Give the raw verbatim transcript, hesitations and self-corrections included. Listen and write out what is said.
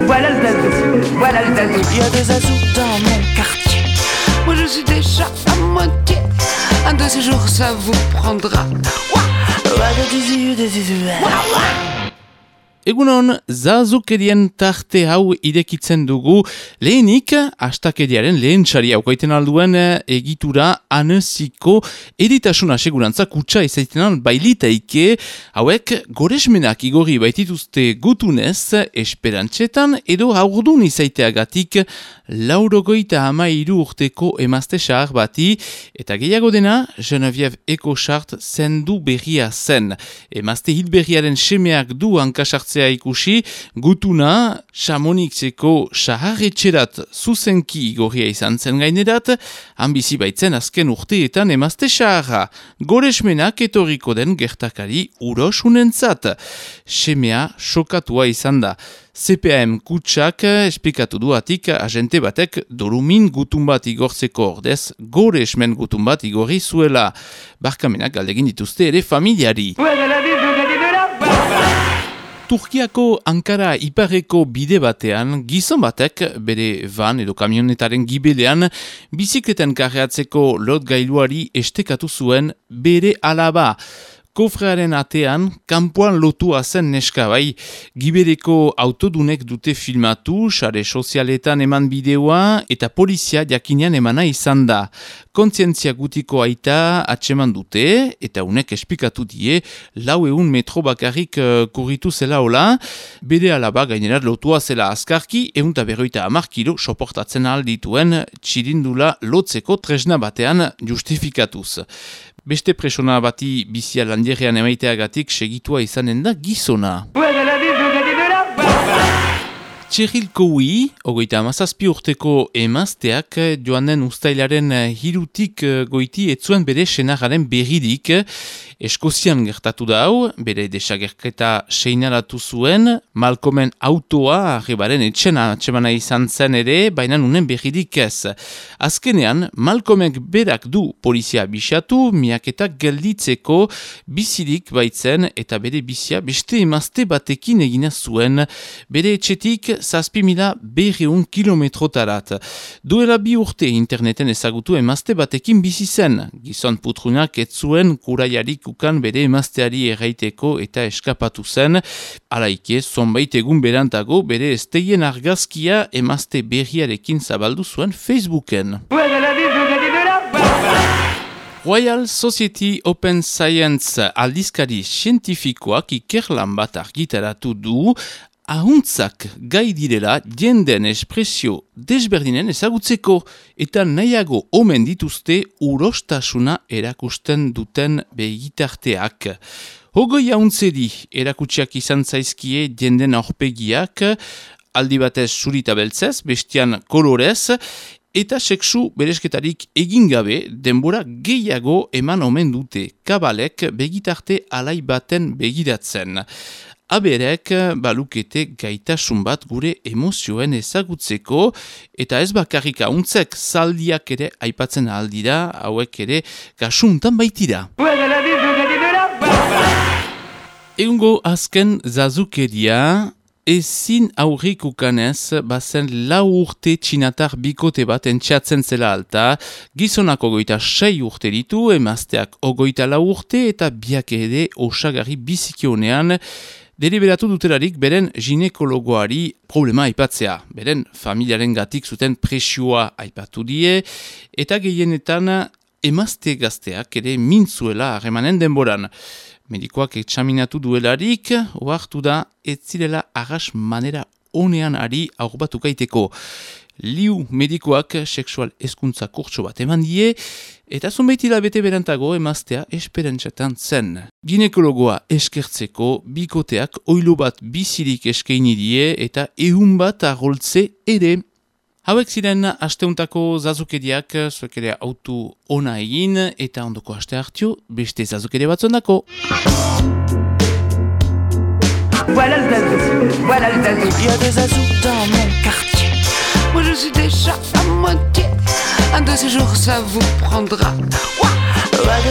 Voilà le zazou, voilà le zazou. Il y a des zazous dans mon quartier. Moi je suis déjà à moitié. Un de ces jours ça vous prendra. Egunon, zazukerien tarte hau irekitzen dugu, lehenik, astakeriaren lehen txari haukaiten alduen egitura aneziko eritasuna segurantza kutsa izaitenan bailitaike, hauek goresmenak igorri baitituzte gutunez, esperantzetan edo haurdun izaiteagatik laurogoita hamairu urteko emazte xahar bati, eta gehiago dena, Geneviève Ecochart zendu berria zen. Emazte hilberriaren semeak du hankasartzea ikusi, gutuna Chamonixeko saharretxerat zuzenki igorria izan zen gainerat, hanbizi baitzen azken urteetan emazte saharra, goresmenak etorriko den gertakari urosunentzat. Semea sokatua izan da. C P A M kutsak esplikatu duatik agente batek dorumin gutun bat igortzeko ordez, goresmen gutun bat igorri zuela. Barkamenak galdegin dituzte ere familiari. Turkiako Ankara iparreko bide batean, gizon batek bere van edo kamionetaren gibelean bizikleten karreatzeko lot gailuari estekatu zuen bere alaba. Kofrearen atean, kanpoan lotua zen neska bai, gibereko autodunek dute filmatu, sare sozialetan eman bideoa eta polizia jakinean emana izan da. Kontzientzia gutiko aita atseman dute, eta unek esplikatu die, lau eun metro bakarrik uh, kurritu zela hola, bere alaba gainerat lotua zela azkarki, eunta berroita hamar kilo soportatzen aldituen txirindula lotzeko tresna batean justifikatuz. Beste presona bati bizia landierrean emaiteagatik segitua izanen da gizona. Txerril Koui, ogoita amazazpi urteko emazteak, joan den ustailaren hirutik goiti etzuen bere senararen berridik. Eskozian gertatu da hau, bere desagerketa seinalatu zuen, Malcolmen autoa arrebaren etxena atxemana izan zen ere, baina nunen berridik ez. Azkenean, Malcolmek berak du polizia bisatu, miaketak gelditzeko bizirik baitzen eta bere bizia beste emazte batekin egina zuen, bere etxetik zazpi mila berreun kilometrotarat. Duela bi urte interneten ezagutu emazte batekin bizi zen, gizon putrunak ez zuen kuraiarik ukan bere emazteari erraiteko eta eskapatu zen, alaike zonbait egun berantago bere esteien argazkia emazte berriarekin zabaldu zuen Facebooken. Royal Society Open Science aldizkari zientifikoak ikerlan bat argitaratu du, ahuntzak gai direla jenden espresio desberdinen ezagutzeko eta nahiago omen dituzte urostasuna erakusten duten begitarteak. Hogoi ahuntzeri erakutsiak izan zaizkie jenden aurpegiak, aldi batez zurita beltzez, bestian kolorez, eta sexu beresketarik egin gabe denbora gehiago eman omen dute kabalek begitarte alai baten begiratzen. Aberek balukete gaitasun bat gure emozioen ezagutzeko eta ez bakarrik ahuntzek zaldiak ere aipatzen aldira, hauek ere kasuntan baitira. Egungo azken zazukeria, ezin aurrikukanez bazen lau urte txinatar bikote bat entxatzen zela alta, gizonak ogoita sei urte ditu, emazteak ogoita lau urte eta biak ere osagarri bizikionean, deliberatu dutelarik beren ginekologoari problema aipatzea. Beren familiaren gatik zuten presioa aipatu die, eta gehienetan emazte gazteak ere mintzuela harremanen denboran. Medikoak etxaminatu duelarik, ohartu da ez zirela arras manera onean ari aurbatukateko. Liu medikoak sexual hezkuntza kurtso bat eman die, eta zonbait hilabete berantago emaztea esperantzetan zen. Ginekologoa eskertzeko, bikoteak oilo bat bizirik eskaini die eta ehun bat arroltze ere. Hauek ziren asteuntako zazukeriak, zuek ere autu ona egin, eta ondoko aste hartio, beste zazukere batzondako. Voilà le zazou, voilà le zazou. Il y a des zazous dans mon quartier. Moi je suis déjà à moitié. Un de ces jours ça vous prendra. Ouah, ouah,